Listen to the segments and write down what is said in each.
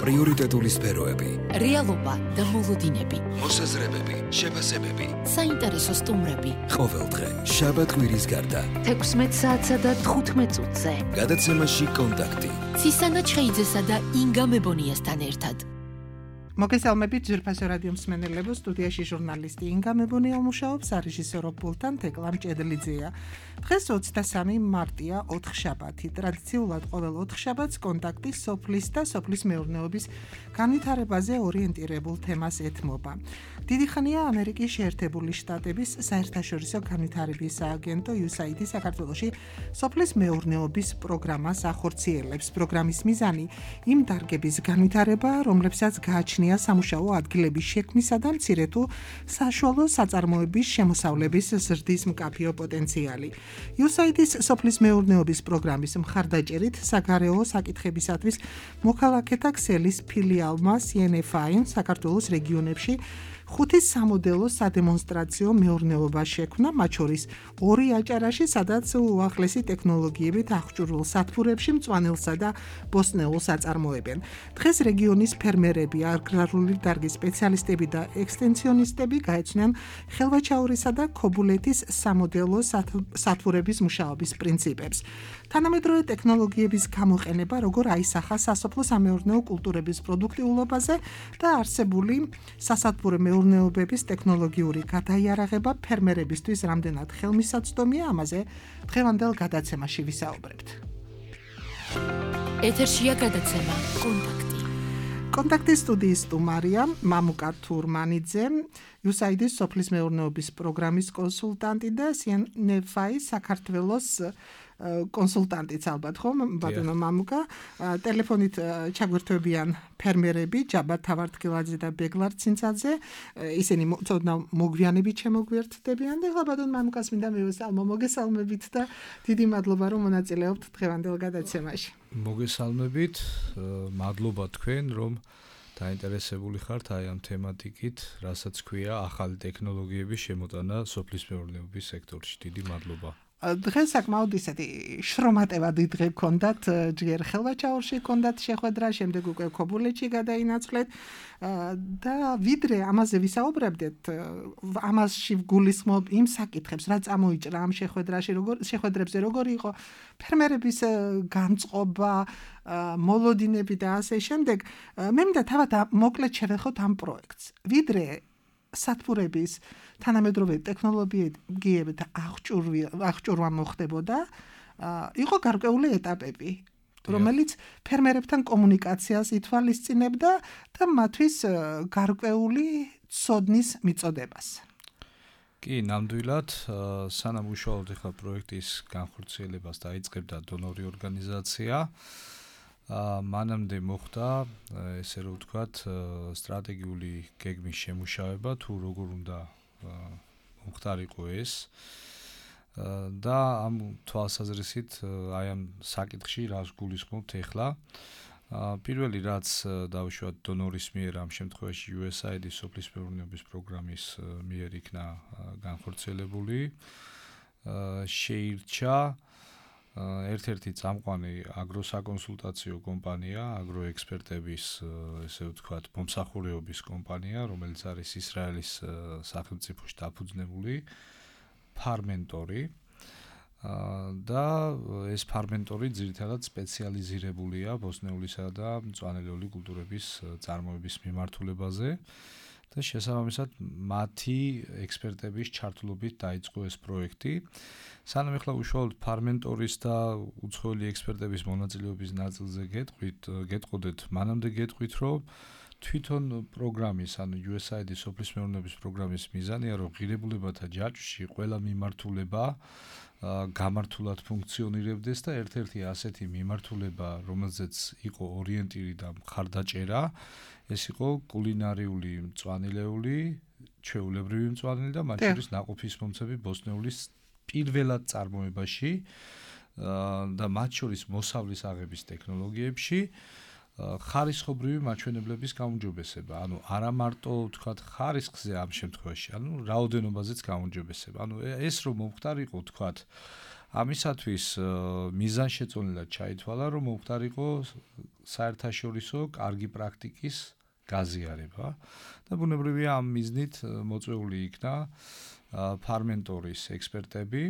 პრიორიტეტული სფეროები, რეალობა და მოლოდინები, მოსაზრებები, შეფასებები, საინტერესო სტუმრები. ყოველდღე, შაბათ-კვირის გარდა, 16 საათსა და 15 წუთზე. გადაცემაში კონტაქტი. ცისანა ჩხეიძესა და ინგა მებონიასთან ერთად. მოგესალმებით ძვირფასო რადიო მსმენელებო, სტუდიაში ჟურნალისტი ინგა მებონია მუშაობს, რეჟისორო პულტთან თეკლამ ჭედლიძეა. დღეს 23 მარტია, ოთხშაბათი. ტრადიციულად ყოველ ოთხშაბათს კონტაქტი სოფლის და სოფლის მეურნეობის განვითარებაზე ორიენტირებულ თემას ეთმობა. დიდი ხანია ამერიკის შეერთებული შტატების საერთაშორისო განვითარების სააგენტო USAID საქართველოში სოფლის მეურნეობის პროგრამას ახორციელებს. პროგრამის მიზანი იმ დარგების განვითარება, რომლებსაც გააჩნია სამუშაო ადგილების შექმნისა და მცირე თუ საშუალო საწარმოების შემოსავლების ზრდის მკაფიო პოტენციალი. USAID-ის სოფლის მეურნეობის პროგრამის მხარდაჭერით საგარეო საკითხებისათვის მოქალაქეთა ქსელის ფილიალმა CNFI საქართველოს რეგიონებში 5 სამოდელო სადემონსტრაციო მეურნეობა შექმნა, მათ შორის 2 აჭარაში, სადაც უახლესი ტექნოლოგიებით აღჭურვილ სათბურებში მწვანელსა და ბოსტნეულს აწარმოებენ. დღეს რეგიონის ფერმერები, აგრარული დარგის სპეციალისტები და ექსტენსიონისტები გაეცნიან ხელვაჩაურისა და ქობულეთის სამოდელო სათბურების მუშაობის პრინციპებს. თანამედროვე ტექნოლოგიების გამოყენება როგორ აისახა სასოფლო-სამეურნეო კულტურების პროდუქტიულობაზე და არსებული სასათბურე მეურნეობების ტექნოლოგიური გადაიარაღება ფერმერებისთვის რამდენად ხელმისაწვდომია, ამაზე დღევანდელ გადაცემაში ვისაუბრებთ. ეთერშია გადაცემა კონტაქტი. კონტაქტის სტუდიის სტუმარია მამუკა თურმანიძე, USAID-ის სოფლის მეურნეობის პროგრამის კონსულტანტი და CNFI საქართველოს კონსულტანტიც ალბათ, ხო, ბატონო მამუკა. ტელეფონით ჩაგვერთვებიან ფერმერები ჯაბარ თავართქილაძე და ბეგლარ ცინცაძე. ისინი ცოდნა მოგვიანებით შემოგვერთდებიან და ახლა ბატონ მამუკას მინდა მივესალმო. მოგესალმებით და დიდი მადლობა რომ მონაწილეობთ დღევანდელ გადაცემაში. მოგესალმებით, მადლობა თქვენ რომ დაინტერესებული ხართ აი ამ თემატიკით, რასაც ქვია ახალი ტექნოლოგიების შემოტანა სოფლის მეურნეობის სექტორში. დიდი მადლობა. დღეს საკმაოდ ისეთი შრომატევადი დღე გქონდათ, ჯერ ხელვაჩაურში გქონდათ შეხვედრა, შემდეგ უკვე ქობულეთში გადაინაცვლეთ და ვიდრე ამაზე ვისაუბრებდეთ, ამაში ვგულისხმობ იმ საკითხებს, რა წამოიჭრა ამ შეხვედრებზე, როგორი იყო ფერმერების განწყობა, მოლოდინები და ასე შემდეგ. მე მინდა თავად მოკლედ შევეხოთ ამ პროექტს. ვიდრე სათბურების თანამედროვე ტექნოლოგიებით აღჭურვა მოხდებოდა, იყო გარკვეული ეტაპები, რომელიც ფერმერებთან კომუნიკაციას ითვალისწინებდა და მათთვის გარკვეული ცოდნის მიწოდებას. კი, ნამდვილად, სანამ უშუალოდ ახლა პროექტის განხორციელებას დაიწყებდა დონორი ორგანიზაცია, მანამდე მოხდა, ესე რომ ვთქვათ, სტრატეგიული გეგმის შემუშავება, თუ როგორ უნდა მომხდარიყო ეს და ამ თვალსაზრისით აი ამ საკითხში რას გულისხმობთ ახლა. პირველი რაც დავუშვათ დონორის მიერ, ამ შემთხვევაში USAID-ის სოფლის მეურნეობის პროგრამის მიერ იქნა განხორციელებული, შეირჩა ერთ-ერთი წამყვანი აგროსაკონსულტაციო კომპანია, აგროექსპერტების, ესე ვთქვათ, მომსახურეობის კომპანია, რომელიც არის ისრაელის სახელმწიფოში დაფუძნებული ფარმენტორი და ეს ფარმენტორი ძირითადად სპეციალიზირებულია ბოსტნეულისა და მწვანელეული კულტურების წარმოების მიმართულებაზე და შესაბამისად მათი ექსპერტების ჩართულობით დაიწყო ეს პროექტი. სანამ ახლა უშუალოდ ფარმენტორის და უცხოელი ექსპერტების მონაწილეობის ნაწილზე გეტყოდეთ, მანამდე გეტყვით, რომ თვითონ პროგრამის, ანუ USAID-ის სოფლის მეურნეობის პროგრამის მიზანია, რომ ღირებულებათა ჯაჭვში ყველა მიმართულება გამართულად ფუნქციონირებდეს და ერთ-ერთი ასეთი მიმართულება, რომელზეც იყო ორიენტირი და მხარდაჭერა, ეს იყო კულინარიული მწვანილეული, ჩვეულებრივი მწვანილი და მათ შორის ნაყოფისმომცემი ბოსტნეულის პირველად წარმოებაში და მათ შორის მოსავლის აღების ტექნოლოგიებში ხარისხობრივი მაჩვენებლების გაუმჯობესება, ანუ არა მარტო ვთქვათ ხარისხზე ამ შემთხვევაში, ანუ რაოდენობაზეც გაუმჯობესება. ანუ ეს რომ მომხდარიყო ვთქვათ ამისათვის მიზანშეწონილად ჩაითვალა, რომ მომხდარიყო საერთაშორისო კარგი პრაქტიკის გაზიარება და ბუნებრივია ამ მიზნით მოწვეული იქნა ფარმენტორის ექსპერტები.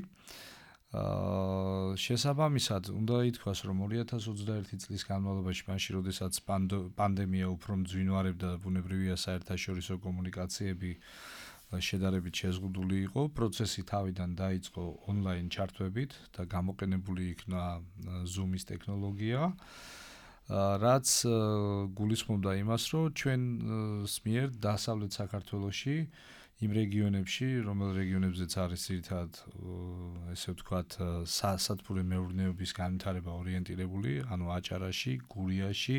შესაბამისად, უნდა ითქვას, რომ 2021 წლის განმავლობაში, მაშინ როდესაც პანდემია უფრო მძვინვარებდა და ბუნებრივია საერთაშორისო კომუნიკაციები შედარებით შეზღუდული იყო, პროცესი თავიდან დაიწყო ონლაინ ჩართვებით და გამოყენებული იქნა Zoom-ის ტექნოლოგია, რაც გულისხმობდა იმას, რომ ჩვენს მიერ დასავლეთ საქართველოში იმ რეგიონებში, რომელ რეგიონებზეც არის ძირითადად ესე ვთქვათ, სასათბურე მეურნეობის განვითარება ორიენტირებული, ანუ აჭარაში, გურიაში,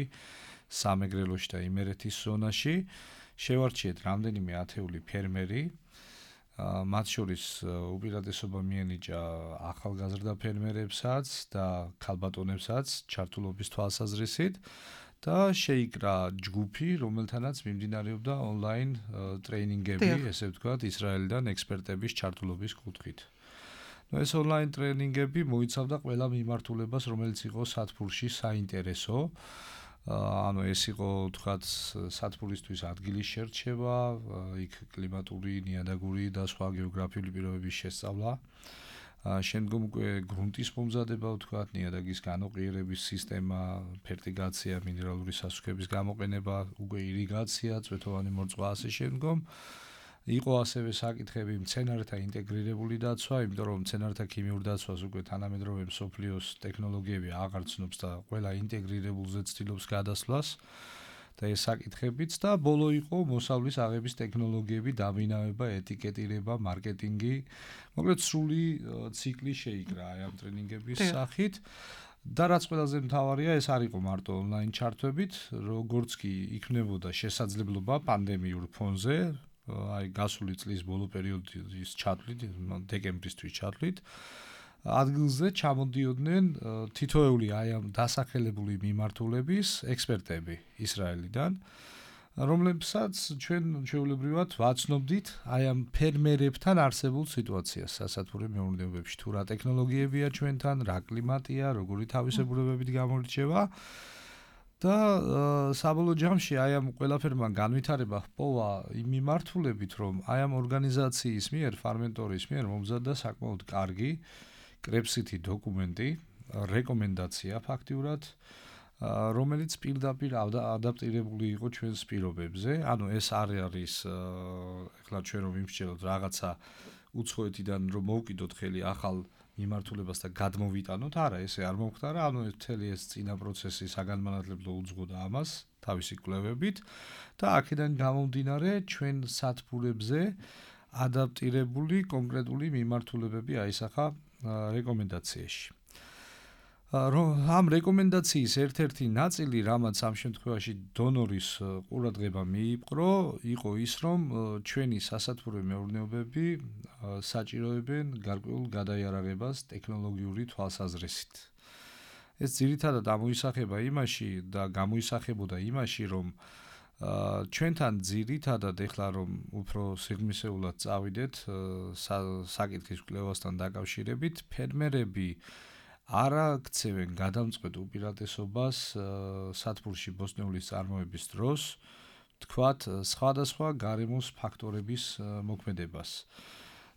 სამეგრელოში და იმერეთის ზონაში, შევარჩიეთ რამდენიმე ათეული ფერმერი, მათ შორის უპირატესობა მიენიჭა ახალგაზრდა ფერმერებსაც და ქალბატონებსაც ჩართულობის თვალსაზრისით და შეიკრა ჯგუფი, რომელთანაც მიმდინარეობდა ონლაინ ტრეინინგები, ესე ვთქვათ, ისრაელიდან ექსპერტების ჩართულობის კუთხით. ეს ონლაინ ტრეინინგები მოიცავდა ყველა მიმართულებას, რომელიც იყო სათბურში საინტერესო. ანუ ეს იყო, ვთქვათ, სათბურისთვის ადგილის შერჩევა, იქ კლიმატური, ნიადაგური და სხვა გეოგრაფიული პირობების შესწავლა. შემდგომ უკვე გრუნტის მომზადება, ვთქვათ, ნიადაგის განოყიერების სისტემა, ფერტიგაცია, მინერალური სასუქების გამოყენება, უკვე ირიგაცია, წვეთოვანი მორწვა ასე შემდგომ. იყო ასევე საკითხები მცენარეთა ინტეგრირებული დაცვა, იმიტომ რომ მცენარეთა ქიმიურ დაცვას უკვე თანამედროვე მსოფლიოს ტექნოლოგიები აღარ ცნობს და ყველა ინტეგრირებულზე ცდილობს გადასვლას და ეს საკითხებიც და ბოლო იყო მოსავლის აღების ტექნოლოგიები, დაბინავება, ეტიკეტირება, მარკეტინგი. მოკლედ სრული ციკლი შეიკრა აი ამ ტრენინგების სახით. და რაც ყველაზე მთავარია, ეს არ იყო მარტო ონლაინ ჩართვებით, როგორც კი იქნებოდა შესაძლებლობა პანდემიურ ფონზე, აი გასული წლის ბოლო პერიოდის ჩათვლით, დეკემბრისთვის ჩათვლით, ადგილზე ჩამოდიოდნენ თითოეული აი ამ დასახელებული მიმართულების ექსპერტები ისრაელიდან, რომლებსაც ჩვენ ჩვეულებრივად ვაცნობდით აი ამ ფერმერებთან არსებულ სიტუაციას სასათბურე მეურნეობებში, თუ რა ტექნოლოგიებია ჩვენთან, რა კლიმატია, როგორი თავისებურებებით გამორჩევა. და საბოლოო ჯამში აი ამ ყველაფერმა განვითარება ჰპოვა იმ მიმართულებით, რომ აი ამ ორგანიზაციის მიერ, ფარმენტორის მიერ მომზადდა საკმაოდ კარგი კრებსითი დოკუმენტი, რეკომენდაცია ფაქტიურად, რომელიც პირდაპირ ადაპტირებული იყო ჩვენს პირობებზე. ანუ ეს არ არის ეხლა ჩვენ რომ ვიმსჯელოთ რაღაცა უცხოეთიდან რომ მოვკიდოთ ხელი ახალ მიმართულებას და გადმოვიტანოთ, არა, ესე არ მომხდარა, ანუ მთელი ეს წინა პროცესი საგანმანათლებლო უძღვოდა ამას თავისი კვლევებით და აქედან გამომდინარე ჩვენ სათბურებზე ადაპტირებული კონკრეტული მიმართულებები აისახა რეკომენდაციაში. ამ რეკომენდაციის ერთ-ერთი ნაწილი, რამაც ამ შემთხვევაში დონორის ყურადღება მიიპყრო, იყო ის, რომ ჩვენი სასათბურე მეურნეობები საჭიროებენ გარკვეულ გადაიარაღებას ტექნოლოგიური თვალსაზრისით. ეს ძირითადად ამოისახება იმაში და გამოისახებოდა იმაში, რომ ჩვენთან ძირითადად ეხლა რომ უფრო სიღრმისეულად წავიდეთ საკითხის კვლევასთან დაკავშირებით, ფერმერები არ აქცევენ გადამწყვეტ უპირატესობას სათბურში ბოსტნეულის წარმოების დროს, თქვათ, სხვადასხვა გარემოს ფაქტორების მოქმედებას.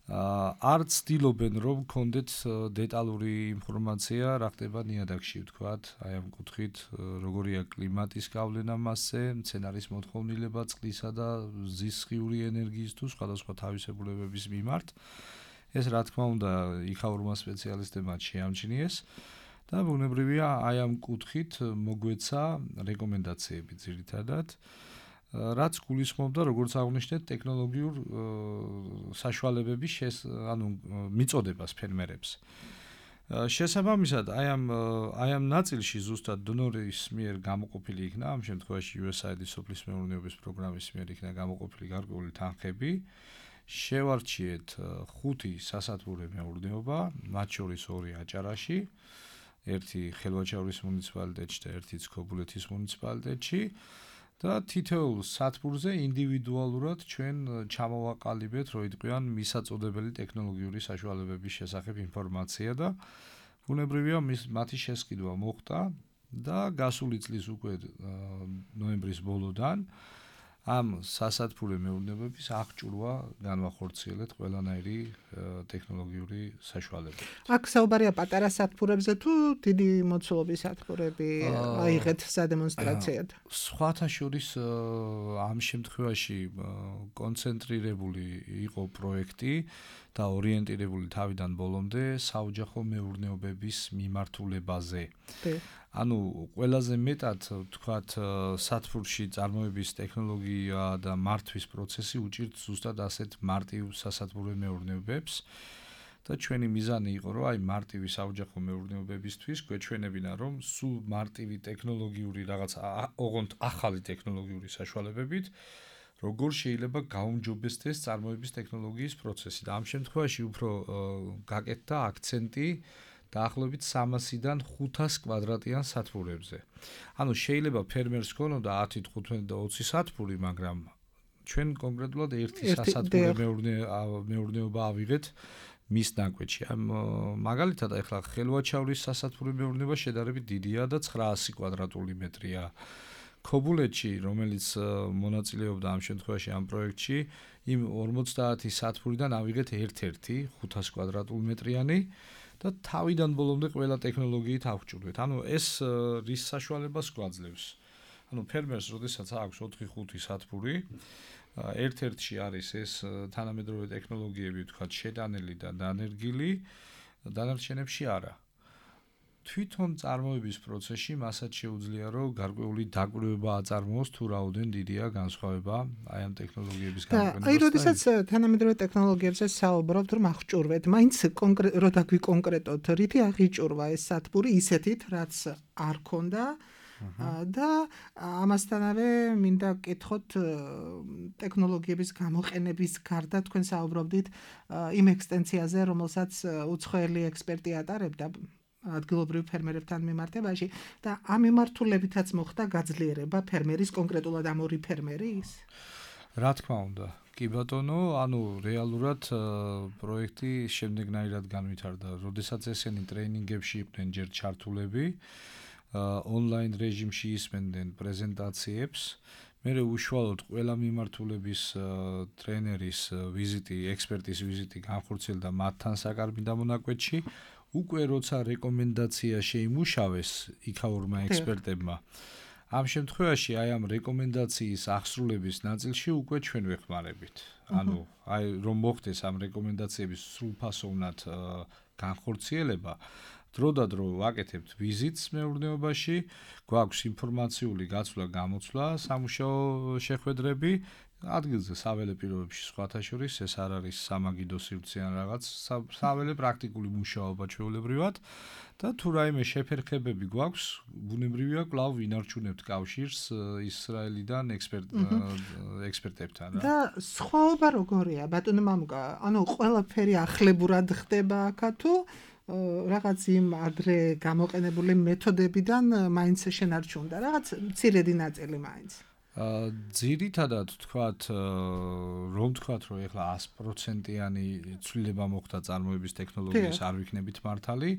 არ ცდილობენ რომ გქონდეთ დეტალური ინფორმაცია რა ხდება ნიადაგში, ვთქვათ, აი ამ კუთხით როგორია კლიმატის გავლენა მასზე, მცენარის მოთხოვნილება წყლისა და ზისხიური ენერგიის თუ სხვადასხვა თავისებურებების მიმართ. ეს რა თქმა უნდა იქაურმა სპეციალისტებმა შეამჩნიეს და ბუნებრივია აი ამ კუთხით მოგვეცა რეკომენდაციები ძირითადად, რაც გულისხმობდა, როგორც აღნიშნეთ, ტექნოლოგიურ საშუალებების მიწოდებას ფერმერებს. შესაბამისად, აი ამ ნაწილში ზუსტად დონორის მიერ გამოყოფილი იქნა, ამ შემთხვევაში USAID-ის სოფლის მეურნეობის პროგრამის მიერ იქნა გამოყოფილი გარკვეული თანხები. შევარჩიეთ 5 სასათბურე მეურნეობა, მათ შორის 2 აჭარაში, ერთი ხელვაჩაურის მუნიციპალიტეტში და ერთი ცქობულეთის მუნიციპალიტეტში და თითოეულ სათბურზე ინდივიდუალურად ჩვენ ჩამოვაყალიბეთ, რომ იტყვიან მისაწოდებელი ტექნოლოგიური საშუალებების შესახებ ინფორმაცია და ბუნებრივია მათი შესყიდვა მოხდა და გასული წლის უკვე ნოემბრის ბოლოდან ამ სასათბურე მეურნეობების აღჭურვა განვახორციელეთ ყველანაირი ტექნოლოგიური საშუალება. აქ საუბარია პატარა სათბურებზე თუ დიდი მოცულობის სათბურები აიღეთ სადემონსტრაციად? სხვათა შორის ამ შემთხვევაში კონცენტრირებული იყო პროექტი და ორიენტირებული თავიდან ბოლომდე საოჯახო მეურნეობების მიმართულებაზე. ანუ ყველაზე მეტად ვთქვათ სათბურში წარმოების ტექნოლოგია და მართვის პროცესი უჭირთ ზუსტად ასეთ მარტივ სასათბურე მეურნეობებს და ჩვენი მიზანი იყო რომ აი მარტივი საოჯახო მეურნეობებისთვის გვეჩვენებინა რომ სულ მარტივი ტექნოლოგიური რაღაც ოღონდ ახალი ტექნოლოგიური საშუალებებით როგორ შეიძლება გაუმჯობესდეს წარმოების ტექნოლოგიის პროცესი და ამ შემთხვევაში უფრო გაკეთდა აქცენტი დაახლოებით 300-დან 500 კვადრატიან სათბურებზე. ანუ შეიძლება ფერმერს ქონოდა 10, 15 და 20 სათბური, მაგრამ ჩვენ კონკრეტულად ერთი სასათბურე მეურნეობა ავიღეთ მის ნაკვეთში. მაგალითად, ახლა ხელვაჩავრის სასათბურე მეურნეობა შედარებით დიდია და 900 კვადრატული მეტრია. ქობულეთში, რომელიც მონაწილეობდა ამ შემთხვევაში ამ პროექტში, იმ 50 სათბურიდან ავიღეთ ერთ-ერთი 500 კვადრატული მეტრიანი და თავიდან ბოლომდე ყველა ტექნოლოგიით ავჭურვეთ. ანუ ეს რის საშუალებას გვაძლევს. ანუ ფერმერს, როდესაც აქვს 4-5 სათბური, ერთ-ერთში არის ეს თანამედროვე ტექნოლოგიები, ვთქვათ, შეტანილი და დანერგილი, დანარჩენებში არა. თვითონ წარმოების პროცესში მასაც შეუძლია რომ გარკვეული დაკვირვება აწარმოოს თუ რაოდენ დიდია განსხვავება აი ამ ტექნოლოგიების განვითარებასთან. აი როდესაც თანამედროვე ტექნოლოგიებზე საუბრობთ რომ აღჭურვეთ, მაინც რო დაგვიკონკრეტოთ, რითი აღიჭურვა ეს სათბური ისეთით, რაც არ ქონდა და ამასთანავე მინდა გკითხოთ ტექნოლოგიების გამოყენების გარდა თქვენ საუბრობდით იმ ექსტენსიაზე, რომელსაც უცხოელი ექსპერტი ატარებდა ადგილობრივ ფერმერებთან მიმართებაში და ამ მიმართულებითაც მოხდა გაძლიერება ფერმერის, კონკრეტულად ამ ორი ფერმერის? რა თქმა უნდა, კი ბატონო, ანუ რეალურად პროექტი შემდეგნაირად განვითარდა. როდესაც ესენი ტრეინინგებში იყვნენ ჯერ ჩართულები, ონლაინ რეჟიმში ისმენდნენ პრეზენტაციებს, მერე უშუალოდ ყველა მიმართულების ტრენერის ვიზიტი, ექსპერტის ვიზიტი განხორციელდა მათთან საკარბი დამონაკვეთში. უკვე როცა რეკომენდაცია შეიმუშავეს იქაურმა ექსპერტებმა, ამ შემთხვევაში აი ამ რეკომენდაციის ახსრულების ნაწილში უკვე ჩვენ ვეხმარებით. ანუ აი რომ მოხდეს ამ რეკომენდაციების სრულფასოვნად განხორციელება, დროდადრო ვაკეთებთ ვიზიტს მეურნეობაში, გვაქვს ინფორმაციული გაცვლა, გამოცვლა, სამუშაო შეხვედრები, ადგილზე საველე პირობებში სხვათა შორის ეს არ არის სამაგიდო სივრცე ან რაღაც საველე პრაქტიკული მუშაობა ჩვეულებრივად და თუ რაიმე შეფერხებები გვაქვს, ბუნებრივია კვლავ ვინარჩუნებთ კავშირს ისრაელიდან ექსპერტებთან რა. და სხვაობა როგორია, ბატონო მამუკა? ანუ ყველაფერი ახლებურად ხდება აქა თუ რაღაც იმ ადრე გამოყენებული მეთოდებიდან მაინც შენარჩუნდა რაღაც მცირედი ნაწილი მაინც? ძირითადად თქვათ რომ ეხლა 100%-იანი ცვლილება მოხდა წარმოების ტექნოლოგიის არ ვიქნებით მართალი,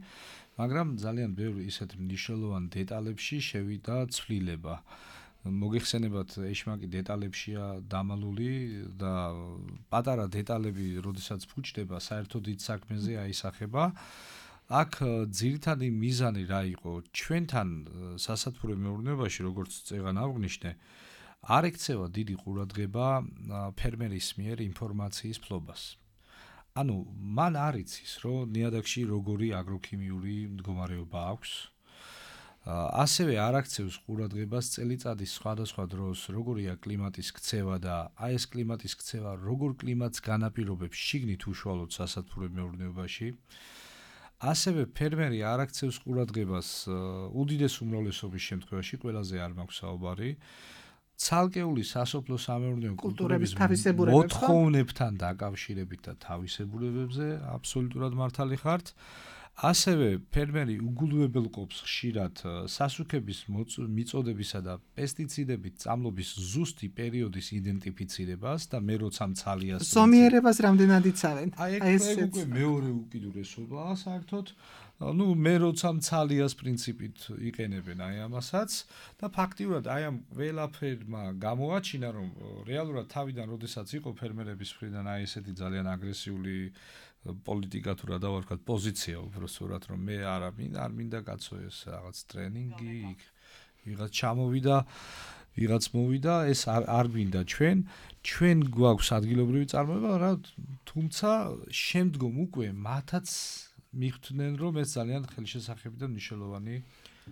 მაგრამ ძალიან ბევრი ისეთ მნიშვნელოვან დეტალებში შევიდა ცვლილება. მოგეხსენებათ, ეშმაკი დეტალებშია დამალული და პატარა დეტალები, როდესაც ფუჭდება, საერთოდ დიდ საქმეზე აისახება. აქ ძირითადი მიზანი რა იყო? ჩვენთან სასათბურე მეურნეობაში, როგორც წეგან აღვნიშნე, არ ექცევა დიდი ყურადღება ფერმერის მიერ ინფორმაციის ფლობას. ანუ მან არ იცის, რომ ნიადაგში როგორი აგროქიმიური მდგომარეობა აქვს. ასევე არ აქცევს ყურადღებას წელიწადის სხვადასხვა დროს, როგორია კლიმატის ქცევა და აი ეს კლიმატის ქცევა როგორ კლიმატს განაპირობებს შიგნით უშუალოდ სასათბურე მეურნეობაში. ასევე ფერმერი არ აქცევს ყურადღებას უდიდეს უმრავლესობის შემთხვევაში, ყველაზე არ მაქვს საუბარი, ცალკეული სასოფლო სამეურნეო კულტურების მოთხოვნებთან დაკავშირებით და თავისებურებებზე აბსოლუტურად მართალი ხართ. ასევე ფერმერი უგულვებელყოფს ხშირად სასუქების მიწოდებისა და პესტიციდებით წამლობის ზუსტი პერიოდის იდენტიფიცირებას და მე როცა მცალიას ზომიერებას რამდენად იცავენ? აი ეს უკვე მეორე უკიდურესობაა საერთოდ ну მე როცა მცალიას პრინციპით იყენებენ აი ამასაც და ფაქტიურად აი ამ ყველაფერმა გამოაჩინა რომ რეალურად თავიდან როდესაც იყო ფერმერების მხრიდან აი ესეთი ძალიან აგრესიული პოლიტიკა თუ რა დავარქვათ პოზიცია უბრალოდ რომ მე არ მინდა კაცო ეს რაღაც ტრენინგი იქ ვიღაც ჩამოვიდა ვიღაც მოვიდა ეს არ მინდა ჩვენ გვაქვს ადგილობრივი წარმოება რა თუმცა შემდგომ უკვე მათაც მიხვდნენ რომ ეს ძალიან ხელშესახები და მნიშვნელოვანი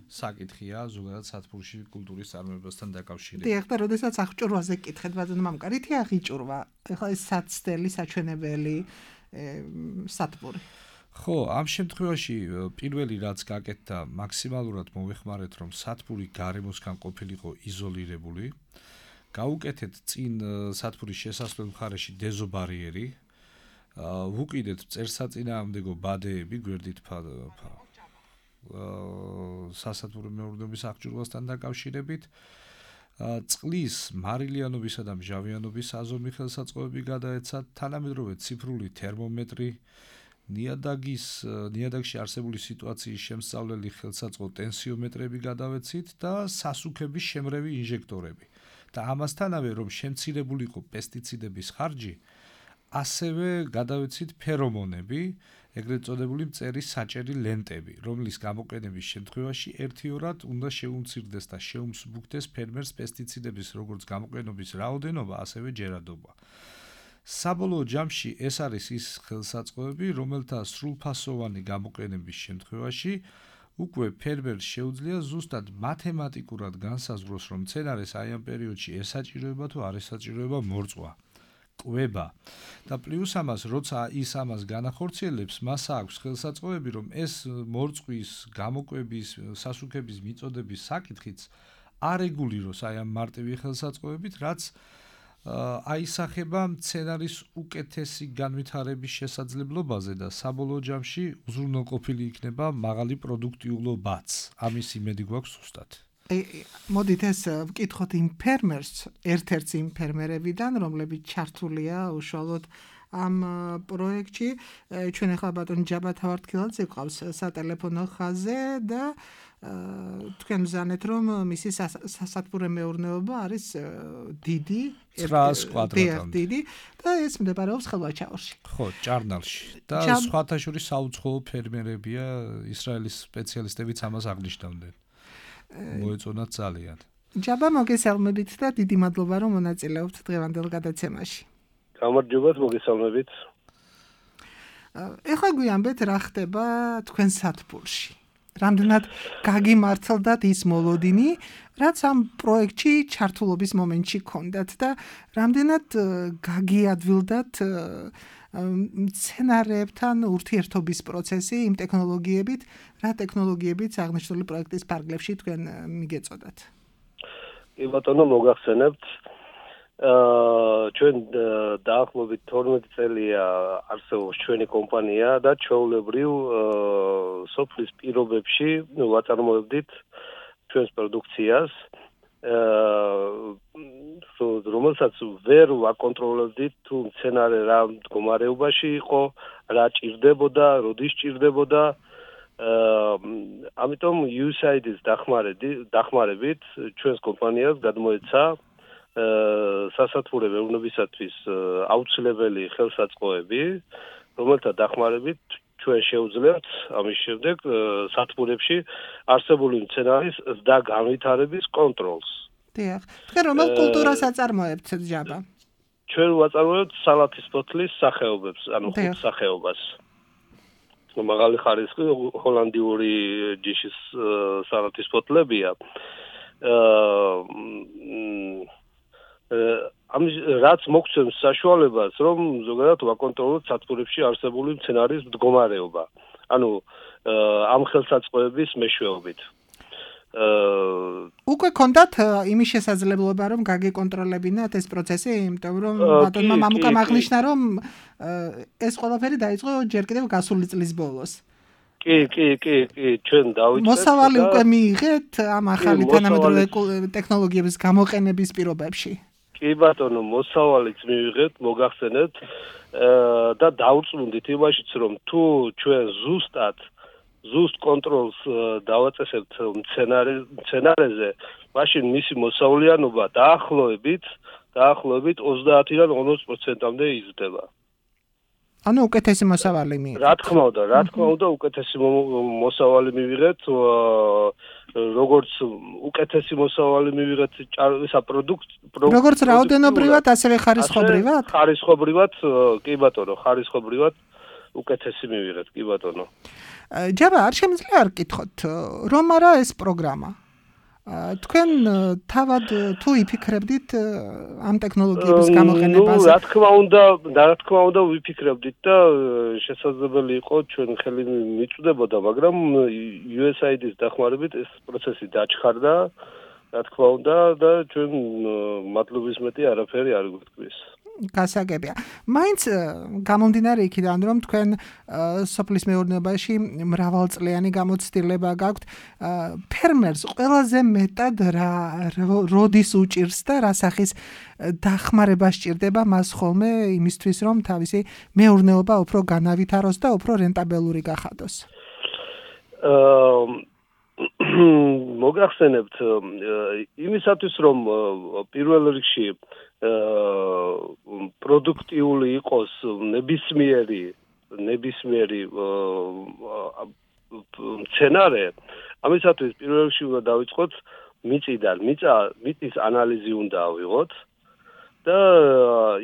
საკითხია ზოგადად სათბურში კულტურის წარმოებასთან დაკავშირებით. დიახ, და როდესაც აღჭურვაზე გკითხეთ, ბატონო მამკარი, თი აღიჭურვა. ეხლა ეს საცდელი, საჩვენებელი სათბური. ხო, ამ შემთხვევაში პირველი რაც გაკეთდა, მაქსიმალურად მოვეხმარეთ, რომ სათბური გარემოსგან ყოფილიყო იზოლირებული. გაუკეთეთ წინ სათბურის შესასვლელ მხარეში დეზობარიერი. ვუკიდეთ წერსაწინააღმდეგო ბადეები გვერდით სასათბურო მეურნეობის აღჭურვასთან დაკავშირებით წყლის მარილიანობისა და მჟავიანობის აზომი ხელსაწყოები გადაეცათ თანამედროვე ციფრული თერმომეტრი ნიადაგში არსებული სიტუაციის შემსწავლელი ხელსაწყო ტენსიომეტრები გადავეცით და სასუქების შემრევი ინჟექტორები და ამასთანავე რომ შემცირებულიყო პესტიციდების ხარჯი ასევე გადავეცით ფერომონები, ეგრეთ წოდებული მწერის საჭერი ლენტები, რომლის გამოყენების შემთხვევაში ერთიორად უნდა შეუმცირდეს და შეუმსუბუქდეს ფერმერს პესტიციდების როგორც გამოყენობის რაოდენობა, ასევე ჯერადობა. საბოლოო ჯამში ეს არის ის ხელსაწყოები, რომელთა სრულფასოვანი გამოყენების შემთხვევაში უკვე ფერმერს შეუძლია ზუსტად მათემატიკურად განსაზღვროს, რომ მცენარეს აი ამ პერიოდში ესაჭიროება თუ არ ესაჭიროება მორწვა. კვება და პლუს ამას როცა ის ამას განახორციელებს მას აქვს ხელსაწყოები რომ ეს მორწვის გამოკვების სასუქების მიწოდების საკითხიც არეგულიროს აი ამ მარტივი ხელსაწყოებით რაც აისახება მცენარის უკეთესი განვითარების შესაძლებლობაზე და საბოლოო ჯამში უზრუნველყოფილი იქნება მაღალი პროდუქტიულობაც ამის იმედი გვაქვს ზუსტად მოდით ეს ვკითხოთ იმ ფერმერს, ერთ-ერთს იმ ფერმერებიდან, რომლებიც ჩართულია უშუალოდ ამ პროექტში. ჩვენ ახლა ბატონ ჯაბა თავარდქილაძე ყავს სატელეფონო ხაზზე და თქვენ მზანეთ რომ მისი სასათბურე მეურნეობა არის დიდი 900 კვადრატამდე და ეს მდებარეობს ხელვაჩაურში. ხო, ჭარნალში. და სხვათა შორის საუცხოო ფერმერებია, ისრაელის სპეციალისტებიც ამას აღნიშნავდნენ. მოეწონათ ძალიან. ჯაბა მოგესალმებით და დიდი მადლობა რომ მონაწილეობთ დღევანდელ გადაცემაში. გამარჯობა, მოგესალმებით. ეხლა გვიამბეთ რა ხდება თქვენ სათბურში. რამდენად გაგიმართლდათ ის მოლოდინი, რაც ამ პროექტში ჩართულობის მომენტში გქონდათ და რამდენად გაგიადვილდათ მცენარეებთან ურთიერთობის პროცესი იმ ტექნოლოგიებით, რა ტექნოლოგიებით აღნიშნული პროექტის ფარგლებში თქვენ მიგეწოდათ? კი ბატონო, მოგახსენებთ. ჩვენ დაახლოებით 12 წელია არსებობს ჩვენი კომპანია და ჩვეულებრივ სოფლის პირობებში ვაწარმოებდით ჩვენს პროდუქციას. რომელსაც ვერ ვაკონტროლებდით თუ მცენარე რა მდგომარეობაში იყო, რა ჭირდებოდა, როდის ჭირდებოდა. ამიტომ USAID-ის დახმარებით ჩვენს კომპანიას გადმოეცა სასათბურე მეურნეობისათვის აუცილებელი ხელსაწყოები, რომელთა დახმარებით ჩვენ შევძლებთ ამის შემდეგ სათბურებში არსებული მცენარის ზრდა განვითარების კონტროლს. დიახ. თქვენ რომელ კულტურას აწარმოებთ ჯაბა? ჩვენ ვაწარმოებთ სალათის ფოთლის სახეობებს, ანუ ხუთ სახეობას. მაღალი ხარისხის ჰოლანდიური ჯიშის სალათის ფოთლებია. ამის რაც მოგცემს საშუალებას, რომ ზოგადად ვაკონტროლოთ სათბურებში არსებული მცენარის მდგომარეობა. ანუ ამ ხელსაწყოების მეშვეობით. უკვე გქონდათ იმის შესაძლებლობა, რომ გაგეკონტროლებინათ ეს პროცესი, იმიტომ რომ ბატონმა მამუკამ აღნიშნა, რომ ეს ყველაფერი დაიწყო ჯერ კიდევ გასული წლის ბოლოს. კი, ჩვენ დავიწყეთ. მოსავალი უკვე მიიღეთ ამ ახალი თანამედროვე ტექნოლოგიების გამოყენების პირობებში. კი ბატონო, მოსავალიც მივიღეთ, მოგახსენეთ და დავწმუნდით იმაშიც, რომ თუ ჩვენ ზუსტად ზუსტ კონტროლს დავაწესებთ მცენარეზე, მაშინ მისი მოსავლიანობა დაახლოებით 30-დან 40%-მდე იზრდება. ანუ უკეთესი მოსავალი მიიღეთ. რა თქმა უნდა, უკეთესი მოსავალი მივიღეთ, როგორც უკეთესი მოსავალი მივიღეთ ისა როგორც რაოდენობრივად, ასევე ხარისხობრივად? ხარისხობრივად, კი ბატონო, ხარისხობრივად უკეთესი მივიღეთ, კი ბატონო. ჯაბა, არ შემიძლია არ გკითხოთ, რომ არა ეს პროგრამა. თქვენ თავად თუ იფიქრებდით ამ ტექნოლოგიების გამოყენებაზე? რა თქმა უნდა ვიფიქრებდით და შესაძლებელი იყო ჩვენ ხელი მიწვდებოდა, მაგრამ USAID-ის დახმარებით ეს პროცესი დაჩქარდა, რა თქმა უნდა და ჩვენ მადლობის მეტი არაფერი არ გვიტყვის. გასაგებია. მაინც გამომდინარე იქიდან, რომ თქვენ სოფლის მეურნეობაში მრავალწლიანი გამოცდილება გაქვთ, ფერმერს ყველაზე მეტად როდის უჭირს და რა სახის დახმარება სჭირდება მას ხოლმე იმისთვის, რომ თავისი მეურნეობა უფრო განავითაროს და უფრო რენტაბელური გახადოს? მოგახსენებთ იმისათვის, რომ პირველ რიგში პროდუქტიული იყოს ნებისმიერი მცენარე, ამისათვის პირველ რიგში უნდა დავიწყოთ მიწიდან, მიწის ანალიზი უნდა ავიღოთ და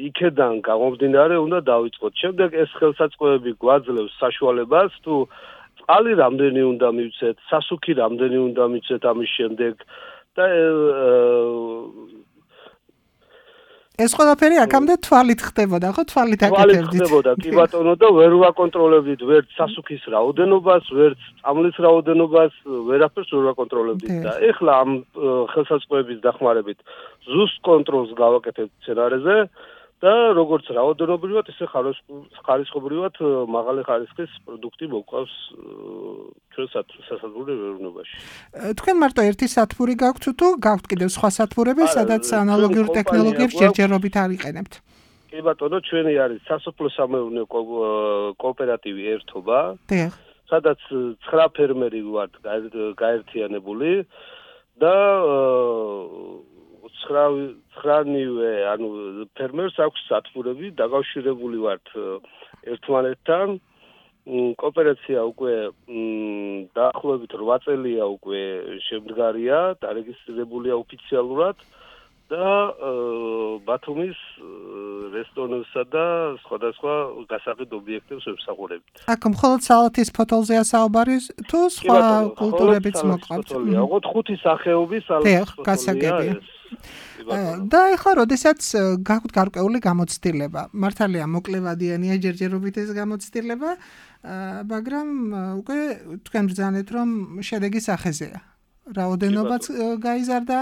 იქედან გამომდინარე უნდა დავიწყოთ. შემდეგ ეს ხელსაწყოები გვაძლევს საშუალებას თუ წყალი რამდენი უნდა მივცეთ, სასუქი რამდენი უნდა მივცეთ ამის შემდეგ და ეს ყველაფერი აქამდე თვალით ხდებოდა, ხო? თვალით აკეთებდით. ხდებოდა, კი ბატონო და ვერ ვაკონტროლებდით ვერც სასუქის რაოდენობას, ვერც წამლის რაოდენობას, ვერაფერს ვერ ვაკონტროლებდით და ეხლა ამ ხელსაწყოების დახმარებით ზუსტ კონტროლს გავაკეთებთ მცენარეზე და როგორც რაოდენობრივად, ისე ხარისხობრივად მაღალი ხარისხის პროდუქტი მოყვავს ჩვენ სასათბურე მეურნეობაში. თქვენ მარტო ერთი სათბური გაქვთ თუ გაქვთ კიდევ სხვა სათბურები, სადაც ანალოგიურ ტექნოლოგიებს ჯერჯერობით არიყენებთ? კი ბატონო, ჩვენი არის სასოფლო-სამეურნეო კოოპერატივი ერთობა, სადაც 9 ფერმერი ვართ გაერთიანებული და 9-ნივე, ანუ ფერმერს აქვს სათბურები, დაკავშირებული ვართ ერთმანეთთან. კოოპერაცია უკვე დაახლოებით 8 წელია უკვე შემდგარია, დარეგისტრირებულია ოფიციალურად და ბათუმის რესტორნებსა და სხვადასხვა გასაყიდ ობიექტებს ვემსახურებით. აქ მხოლოდ სალათის ფოთოლზეა საუბარი თუ სხვა კულტურებიც მოყავთ? ოღონდ 5 სახეობის სალათის ფოთოლია. და ეხლა როდესაც გაქვთ გარკვეული გამოცდილება, მართალია მოკლევადიანია ჯერჯერობით ეს გამოცდილება, მაგრამ უკვე თქვენ ბრძანეთ, რომ შედეგი სახეზეა. რაოდენობაც გაიზარდა,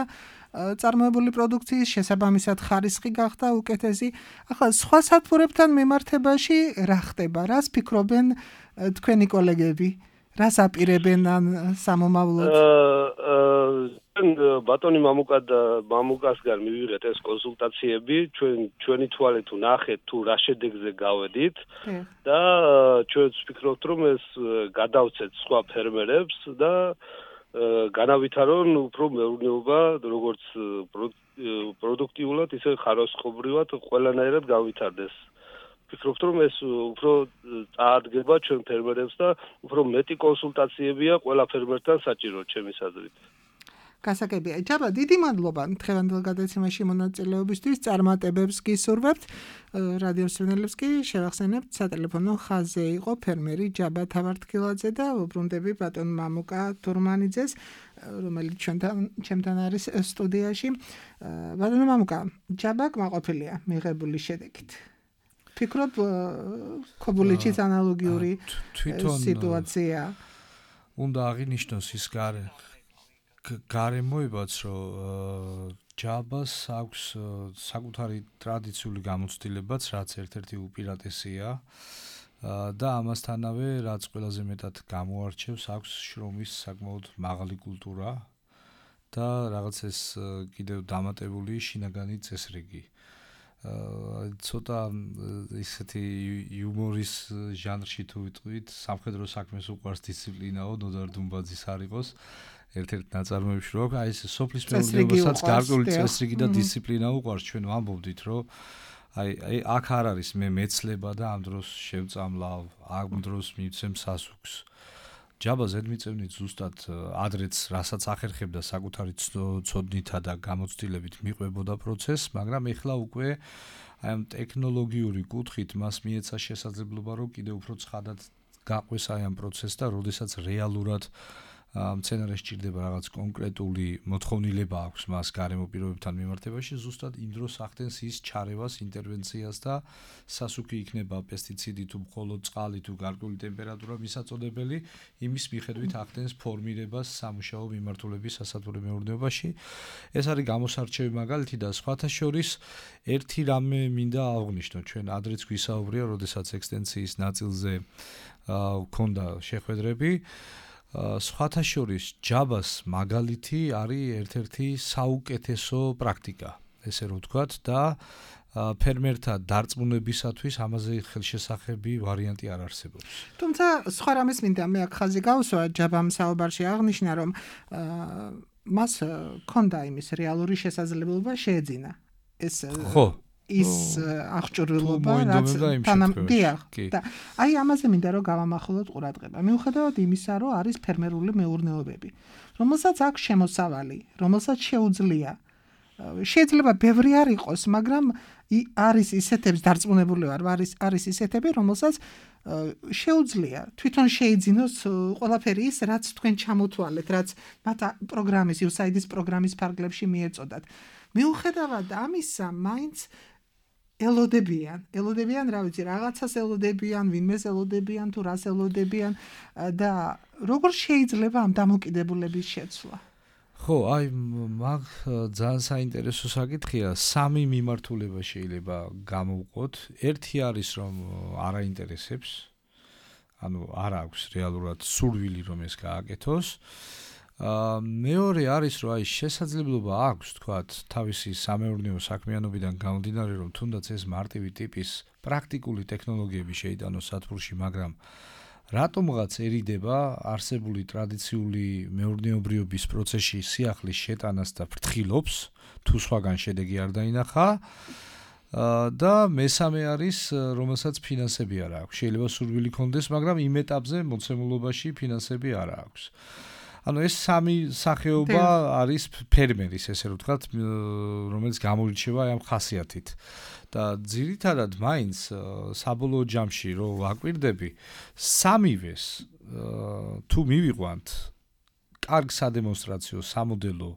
წარმოებული პროდუქციის შესაბამისად ხარისხი გახდა უკეთესი. ახლა სხვა სათბურებთან მიმართებაში რა ხდება? რას ფიქრობენ თქვენი კოლეგები? რას აპირებენ ან სამომავლოდ? ბატონი მამუკასგან მივიღეთ ეს კონსულტაციები, ჩვენი თვალით ვნახეთ თუ რა შედეგზე გავედით და ჩვენც ვფიქრობთ, რომ ეს გადავცეთ სხვა ფერმერებს და განავითარონ უფრო მეურნეობა, როგორც პროდუქტიულად, ისე ხარისხობრივად ყველანაირად გავითარდეს. ვფიქრობთ, რომ ეს უფრო წაადგება ჩვენ ფერმერებს და უფრო მეტი კონსულტაციებია ყველა ფერმერთან საჭირო, ჩემის აზრით. გასაგებია. ჯაბა, დიდი მადლობა დღევანდელ გადაცემაში მონაწილეობისთვის. წარმატებებს გისურვებთ. რადიო მსმენელებს კი შევახსენებთ, სატელეფონო ხაზზე იყო ფერმერი ჯაბა თავართქილაძე და ვუბრუნდები ბატონ მამუკა თურმანიძეს, რომელიც ჩემთან არის სტუდიაში. ბატონ მამუკა, ჯაბა კმაყოფილია მიღებული შედეგით. ფიქრობ, ქობულიჩის ანალოგიური სიტუაცია უნდა აღინიშნოს ის გარემოებაც, რომ ჯაბას აქვს საკუთარი ტრადიციული გამოცდილებაც, რაც ერთ-ერთი უპირატესია და ამასთანავე, რაც ყველაზე მეტად გამოარჩევს, აქვს შრომის საკმაოდ მაღალი კულტურა და რაღაც ეს კიდევ დამატებული შინაგანი წესრიგი. ცოტა ისეთი იუმორის ჟანრში თუ ვიტყვით, სამხედრო საქმეს უყვარს დისციპლინაო, ნოდარ დუმბაძის არ იყოს. ერთ-ერთ ნაწარმოებში რო აი ეს სოფლის მეურნეობასაც გარკვეული წესრიგი და დისციპლინა უყვარს, ჩვენ ვამბობდით, რომ აი აქ არ არის მე მეცლება და ამ დროს შევწამლავ, ამ დროს მივცემ სასუქს. ჯაბა ზედმიწევნით ზუსტად ადრეც რასაც ახერხებდა საკუთარი ცოდნითა და გამოცდილებით მიყვებოდა პროცესს, მაგრამ ეხლა უკვე აი ამ ტექნოლოგიური კუთხით მას მიეცა შესაძლებლობა, რომ კიდევ უფრო ცხადად გაყვეს აი ამ პროცესს და როდესაც რეალურად მცენარეს ჭირდება რაღაც კონკრეტული მოთხოვნილება აქვს მას გარემო პირობებთან მიმართებაში, ზუსტად იმ დროს ახდენს ის ჩარევას, ინტერვენციას და სასუქი იქნება პესტიციდი თუ მხოლოდ წყალი თუ გარკვეული ტემპერატურა მისაწოდებელი, იმის მიხედვით ახდენს ფორმირებას სამუშაო მიმართულების სასათბურე მეურნეობაში. ეს არის გამოსარჩევი მაგალითი და სხვათა შორის ერთი რამე მინდა აღვნიშნო, ჩვენ ადრეც გვისაუბრია, როდესაც ექსტენსიის ნაწილზე გქონდა შეხვედრები. სხვათა შორის ჯაბას მაგალითი არის ერთ-ერთი საუკეთესო პრაქტიკა, ესე რომ ვთქვათ და ფერმერთა დარწმუნებისათვის ამაზე ხელშესახები ვარიანტი არ არსებობს. თუმცა სხვა რამეს მინდა მე აქ ხაზი გავუსვა, ჯაბამ საუბარში აღნიშნა, რომ მას ქონდა იმის რეალური შესაძლებლობა შეეძინა. ეს ხო ის აღჭურვილობა, რაც თანამდიახ და აი ამაზე მინდა რომ გავამახვილოთ ყურადღება. მიუხედავად იმისა, რომ არის ფერმერული მეურნეობები, რომელსაც აქვს შემოსავალი, რომელსაც შეუძლია. შეიძლება ბევრი არ იყოს, მაგრამ არის ისეთებს დარწმუნებული ვარ, არის ისეთები, რომელსაც შეუძლია თვითონ შეიძინოს ყველაფერი ის, რაც თქვენ ჩამოთვალეთ, რაც მათ პროგრამის, USAID-ის პროგრამის ფარგლებში მიეწოდათ. მიუხედავად ამისა, მაინც ელოდებიან, რა ვიცი, რაღაცას ელოდებიან, ვინმეს ელოდებიან, თუ რას ელოდებიან და როგორ შეიძლება ამ დამოკიდებულების შეცვლა? ხო, აი მაგ ძალიან საინტერესო საკითხია, სამი მიმართულება შეიძლება გამოვყოთ. ერთი არის, რომ არ აინტერესებს, ანუ არ აქვს რეალურად სურვილი, რომ ეს გააკეთოს. მეორე არის, რომ აი შესაძლებლობა აქვს, თქვათ, თავისი სამეურნეო საქმიანობიდან გამომდინარე, რომ თუნდაც ეს მარტივი ტიპის პრაქტიკული ტექნოლოგიები შეიტანოს სათბურში, მაგრამ რატომღაცერიდება არსებული ტრადიციული მეურნეობრიობის პროცესში სიახლის შეტანას და ფრთხილობს, თუ სხვაგან შედეგი არ დაინახა. და მესამე არის, რომელსაც ფინანსები არ აქვს. შეიძლება სურვილი ქონდეს, მაგრამ იმ ეტაპზე მოცემულობაში ფინანსები არ აქვს. ანუ ეს სამი სახეობა არის ფერმერის, ესე რომ ვთქვათ, რომელიც გამოირჩევა ამ ხასიათით. და ძირითადად მაინც საბოლოო ჯამში რომ ვაკვირდები, სამივეს თუ მივიყვანთ კარგ სადემონსტრაციო სამოდელო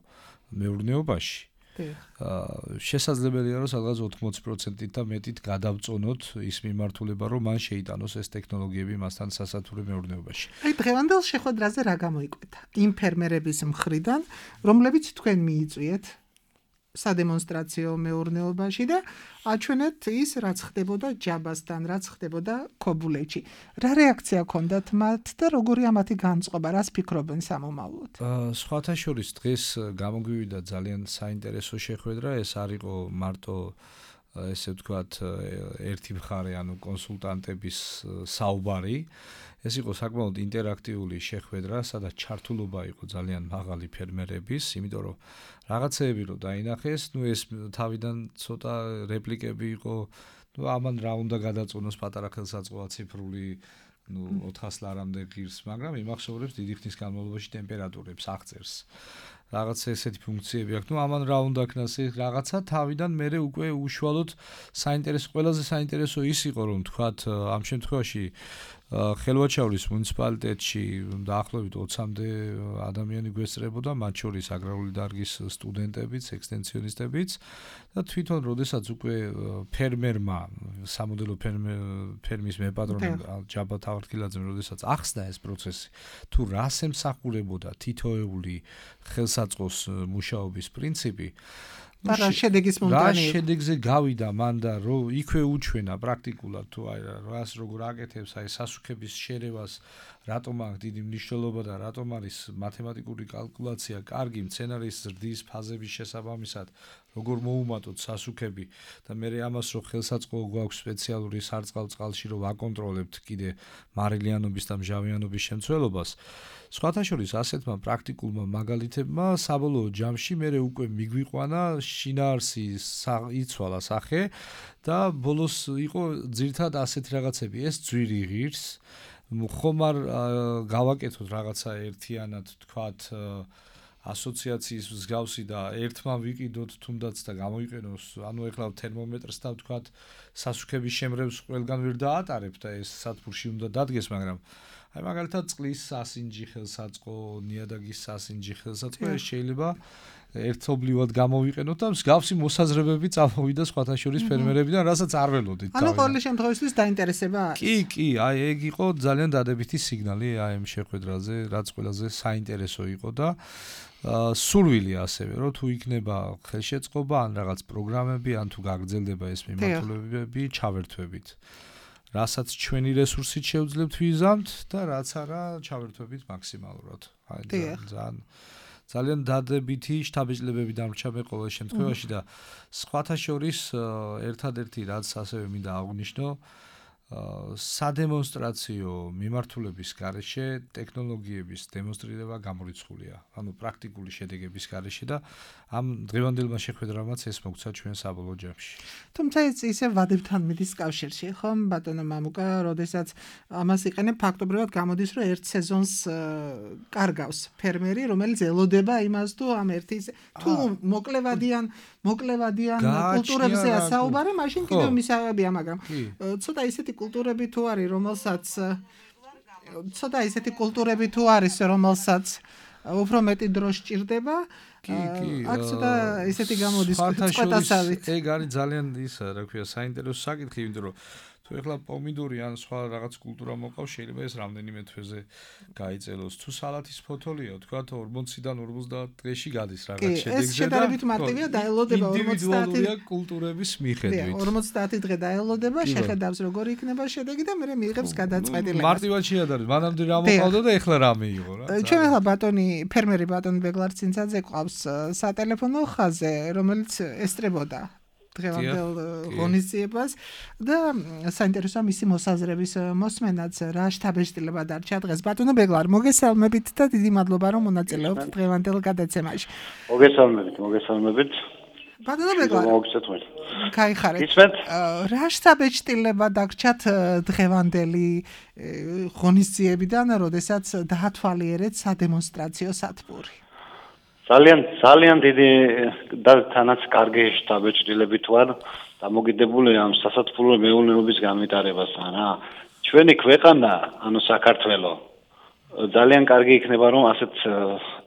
მეურნეობაში, შესაძლებელია რომ სადღაც 80%-ით და მეტით გადავწონოთ ის მიმართულება, რომ მან შეიტანოს ეს ტექნოლოგიები მასთან სასათბურე მეურნეობაში. აი დღევანდელ შეხვედრაზე რა გამოიკვეთა? იმ ფერმერების მხრიდან, რომლებიც თქვენ მიიწვიეთ სადემონსტრაციო მეურნეობაში და აჩვენეთ ის, რაც ხდებოდა ჯაბასთან, რაც ხდებოდა ქობულეთში. რა რეაქცია ჰქონდათ მათ და როგორია მათი განწყობა, რას ფიქრობენ სამომავლოდ? სხვათა შორის დღეს გამოგვივიდა ძალიან საინტერესო შეხვედრა, ეს არ იყო მარტო ესე ვთქვათ ერთი მხარე, ანუ კონსულტანტების საუბარი. ეს იყო საკმაოდ ინტერაქტიული შეხვედრა, სადაც ჩართულობა იყო ძალიან მაღალი ფერმერების, იმიტომ რომ რაღაცეები რო დაინახეს, ეს თავიდან ცოტა რეპლიკები იყო, ამან რა უნდა გადაწონოს პატარა ხელსაწყოა ციფრული 400 ლარამდე ღირს, მაგრამ იმახსოვრებს დიდი ხნის განმავლობაში ტემპერატურებს აღწერს. რაღაცა ესეთი ფუნქციები აქვს. ამან რა უნდა ქნას რაღაცა თავიდან მე უკვე უშუალოდ ყველაზე საინტერესო ის იყო, რომ თქვათ ამ შემთხვევაში ხელვაჩავლის მუნიციპალიტეტში დაახლოებით 20-მდე ადამიანი გვესწრებოდა, მათ შორის აგრარული დარგის სტუდენტებიც, ექსტენსიონისტებიც და თვითონ როდესაც უკვე ფერმერმა, სამოდელო ფერმის მეპატრონე ჯაბა თავარქილაძემ როდესაც ახსნა ეს პროცესი, თუ რას ემსახურებოდა თითოეული ხელსაწყოს მუშაობის პრინციპი, და რა შედეგის რა მომდანი შედეგზე გავიდა მან და იქვე უჩვენა პრაქტიკულად თუ აი რას როგორ აკეთებს აი სასუქების შერევას რატომ აქვს დიდი მნიშვნელობა და რატომ არის მათემატიკური კალკულაცია კარგი მცენარის ზრდის ფაზების შესაბამისად როგორ მოუმატოთ სასუქები და მე ამას რო ხელსაწყო გვაქვს სპეციალური სარწყავ-წყალში რომ ვაკონტროლებთ კიდე მარილიანობის და მჟავიანობის შემცველობას სხვათა შორის ასეთმა პრაქტიკულმა მაგალითებმა საბოლოო ჯამში მე უკვე მიგვიყვანა შინაარსი იცვალა სახე და ბოლოს იყო ძირთად ასეთი რაღაცები ეს ძვირი ღირს ხომ არ გავაკეთოთ რაღაცა ერთიანად თქვათ ასოციაციის მსგავსი და ერთმა ვიყიდოთ თუნდაც და გამოიყენოს ანუ ეხლა თერმომეტრს და ვთქვათ სასუქების შემრევს ყველგან ვერ დაატარებ და ეს სათბურში უნდა დადგეს მაგრამ აი მაგალითად წყლის სასინჯი ხელსაწყო ნიადაგის სასინჯი ხელსაწყო ეს შეიძლება ერთობლივად გამოვიყენოთ და მსგავსი მოსაზრებები წამოვიდა სხვათა შორის ფერმერებიდან რასაც არ ველოდით ანუ ყოველ შემთხვევაში დაინტერესება არის კი აი ეგ იყო ძალიან დადებითი სიგნალი აი ამ შეხვედრაზე რაც ყველაზე საინტერესო იყო და სურვილი ასევე რომ თუ იქნება ხელშეწყობა ან რაღაც პროგრამები ან თუ გაგრძელდება ეს მიმართულებები ჩავერთვებით რასაც ჩვენი რესურსით შევძლებთ ვიზამთ და რაც არა ჩავერთვებით მაქსიმალურად აი ძალიან დადებითი შთაბეჭდილებები დამრჩა მე ყოველ შემთხვევაში და სხვათა შორის ერთადერთი რაც ასევე მინდა აღვნიშნო სადემონსტრაციო მიმართულების გარეშე ტექნოლოგიების დემონსტრირება გამორიცხულია. ანუ პრაქტიკული შედეგების გარეშე და ამ დღევანდელმა შეხვედრამაც ეს მოგცა ჩვენ საბოლოო ჯამში. თუმცა ისე ვადებთან მიდის კავშირში, ხომ ბატონო მამუკა, როდესაც ამას იყენებ ფაქტობრივად გამოდის, რომ ერთ სეზონს კარგავს ფერმერი, რომელიც ელოდება იმას თუ ამ ერთის თუ მოკლევადიან კულტურებზე ასაუბარი, მაშინ კიდევ მისაღებია, მაგრამ ცოტა ისეთი კულტურები თუ არის, რომელსაც უფრო მეტი დრო სჭირდება, აქ ცოტა ისეთი გამოდის წყვეტასავით. ეგ არის ძალიან ისა, რა ქვია, საინტერესო საკითხი, იმიტომ რომ თუ ეხლა პომიდორი ან სხვა რაღაც კულტურა მოყავს, შეიძლება ეს რამდენიმე თვეზე გაიწელოს. თუ სალათის ფოთოლია, თქვა 40-დან 50 დღეში გადის რაღაც შედეგზე და ეს შედარებით მარტივია, დაელოდება 40 კულტურების მიხედვით. 50 დღე დაელოდება, შეხედავს როგორი იქნება შედეგი და მე მიიღებს გადაწყვეტილებას. მარტივად შეადარებს, მანამდე რა მოყავდა და ეხლა რა მიიღო რა. ჩვენ ახლა ფერმერი ბატონი ბეგლარცინცაძე ყავს სატელეფონო ხაზზე, რომელიც ესწრებოდა დღევანდელ ღონისძიებას და საინტერესოა მისი მოსაზრების მოსმენაც რა შთაბეჭდილება დარჩა დღეს. ბატონო ბეგლარ, მოგესალმებით და დიდი მადლობა რომ მონაწილეობთ დღევანდელ გადაცემაში. მოგესალმებით. ბატონო ბეგლარ, მოგესალმებით. გაიხარეთ. ისმენთ? რა შთაბეჭდილება დარჩათ დღევანდელი ღონისძიებიდან, როდესაც დაათვალიერეთ სადემონსტრაციო სათბური? ძალიან დიდი და თანაც კარგი შთაბეჭდილებით ვარ დამოკიდებული ამ სასათბურო მეურნეობის განვითარებასთან რა. ჩვენი ქვეყანა, ანუ საქართველო, ძალიან კარგი იქნება რომ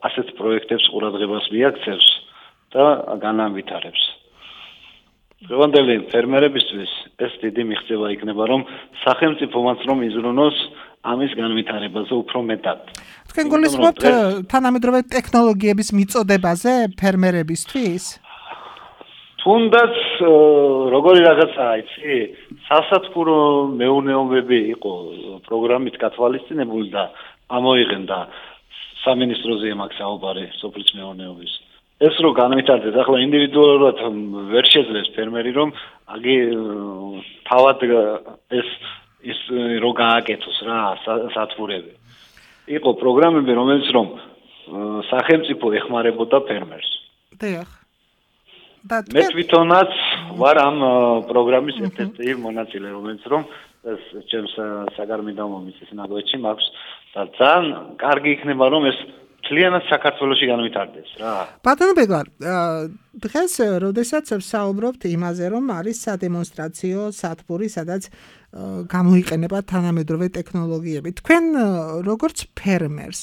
ასეთ პროექტებს ყურადღებას მიაქცევს და განავითარებს. დღევანდელი ფერმერებისთვის ეს დიდი მიღწევა იქნება რომ სახელმწიფომაც რომ იზრუნოს ამის განვითარებაზე უფრო მეტად. თქვენ გულისხმობთ თანამედროვე ტექნოლოგიების მიწოდებაზე ფერმერებისთვის? თუნდაც როგორი რაღაცაა, იცი? სასათბურო მეურნეობები იყო პროგრამით გათვალისწინებული და ამოიღენდა სამინისტროზე მაქვს საუბარი სოფლის მეურნეობის. ეს რო განვითარდეს, ახლა ინდივიდუალურად ვერ შეძლებს ფერმერი რომ აგი თავად ის რო გააკეთოს რა სათბურები. იყო პროგრამები, რომელიც რომ სახელმწიფო ეხმარებოდა ფერმერს. დიახ. მე თვითონაც ვარ ამ პროგრამის ერთ-ერთი მონაწილე, რომელიც რომ ეს ჩემს საგარმიდო მომიცეს ნაგვეთში მაქვს და ძალიან კარგი იქნება რომ ეს მთლიანად საქართველოში განვითარდეს რა. ბატონო ბეგლარ, დღეს როდესაც ვსაუბრობთ იმაზე, რომ არის სადემონსტრაციო სათბური, სადაც გამოიყენება თანამედროვე ტექნოლოგიები. თქვენ როგორც ფერმერს,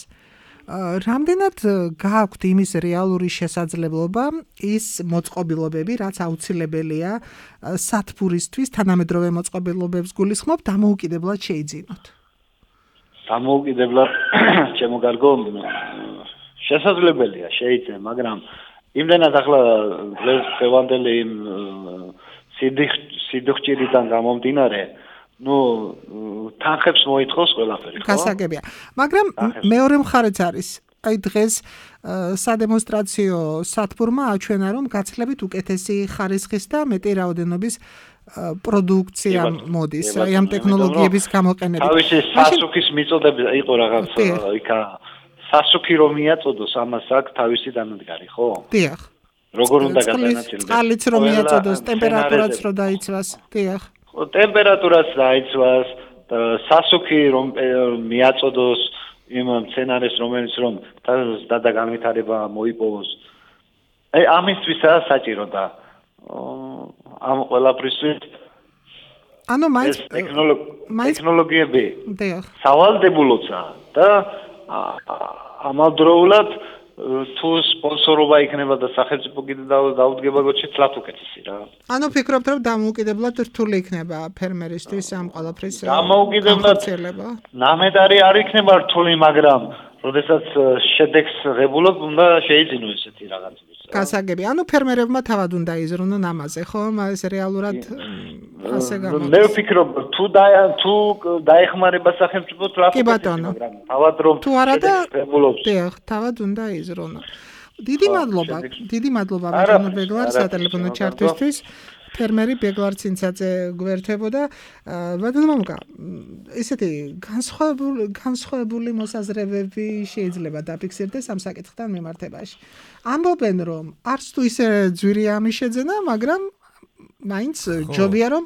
რამდენად გააქვთ იმის რეალური შესაძლებლობა ის მოწყობილობები, რაც აუცილებელია სათბურისთვის, თანამედროვე მოწყობილობებს გულისხმობ, დამოუკიდებლად შეიძინოთ? დამოუკიდებლად ჩემო კარგო შესაძლებელია შეიძლება, მაგრამ იმდენად ახლა დღევანდელი იმ სიდოქჭირიდან გამომდინარე, თანხებს მოითხოვს ყველაფერი, ხო? გასაგებია. მაგრამ მეორე მხარეც არის. აი დღეს სადემონსტრაციო სათბურმა აჩვენა, რომ გაცილებით უკეთესი ხარისხის და მეტი რაოდენობის პროდუქცია მოდის აი ამ ტექნოლოგიების გამოყენებით. თავისი სასუქის მიწოდები იყო რაღაც იქა სასუქი რომ მიაწოდოს ამას აქვს თავისი დანადგარი, ხო? დიახ. როგორ უნდა გადანაწილდეს? წყალიც რომ მიაწოდოს, ტემპერატურაც რომ დაიცვას. დიახ. ტემპერატურაც დაიცვას, სასუქი რომ მიაწოდოს იმ სცენარეს რომელიც რომ დაგანვითარება მოიპოვოს. აი ამისთვისაა საჭირო და ამ ყველაფრისთვის ანუ მაინც ტექნოლოგიები დიახ. სავალდებულოცა და ამავდროულად თუ სპონსორობა იქნება და სახელმწიფო კიდე დაუდგება გოჩეცლათ უკეთესი რა. ანუ ფიქრობთ რომ დამოუკიდებლად რთული იქნება ფერმერისთვის ამ ყველაფრის დამოუკიდებლად ნამედარი არ იქნება რთული, მაგრამ როდესაც შედეგს ღებულობ უნდა შეიძინო ესეთი რაღაცები. გასაგები. ანუ ფერმერებმა თავად უნდა იზრუნონ ამაზე, ხო? ეს რეალურად ასე გამოდის. მე ვფიქრობ თუ დაეხმარება სახელმწიფო თლაფ მაგრამ თავად რომ თუ არა და დიახ, თავად უნდა იზრუნონ. დიდი მადლობა ბატონო ბეგლარ სატელეფონო ჩართვისთვის. ფერმერი ბეგლარ ცინცაძე გვერდებოდა. ბატონო მამუკა, ესეთი განსხვავებული მოსაზრებები შეიძლება დაფიქსირდეს ამ საკითხთან მიმართებაში. ამბობენ რომ არც თუ ისე ძვირია ამის შეძენა, მაგრამ მაინც ჯობია რომ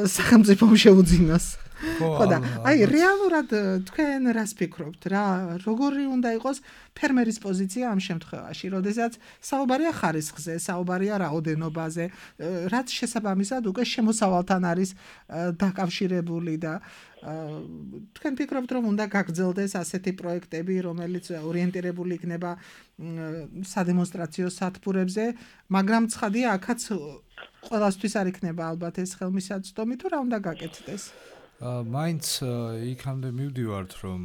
სახელმწიფომ შეუძინოს. ხო და აი რეალურად თქვენ რას ფიქრობთ რა როგორი უნდა იყოს ფერმერის პოზიცია ამ შემთხვევაში როდესაც საუბარია ხარისხზე საუბარია რაოდენობაზე რაც შესაბამისად უკვე შემოსავალთან არის დაკავშირებული და თქვენ ფიქრობთ რომ უნდა გაგრძელდეს ასეთი პროექტები რომელიც ორიენტირებული იქნება სადემონსტრაციო სათბურებზე მაგრამ ცხადია აქაც ყველასთვის არ იქნება ალბათ ეს ხელმისაწვდომი თუ რა უნდა გაკეთდეს მაინც იქამდე მივდივართ რომ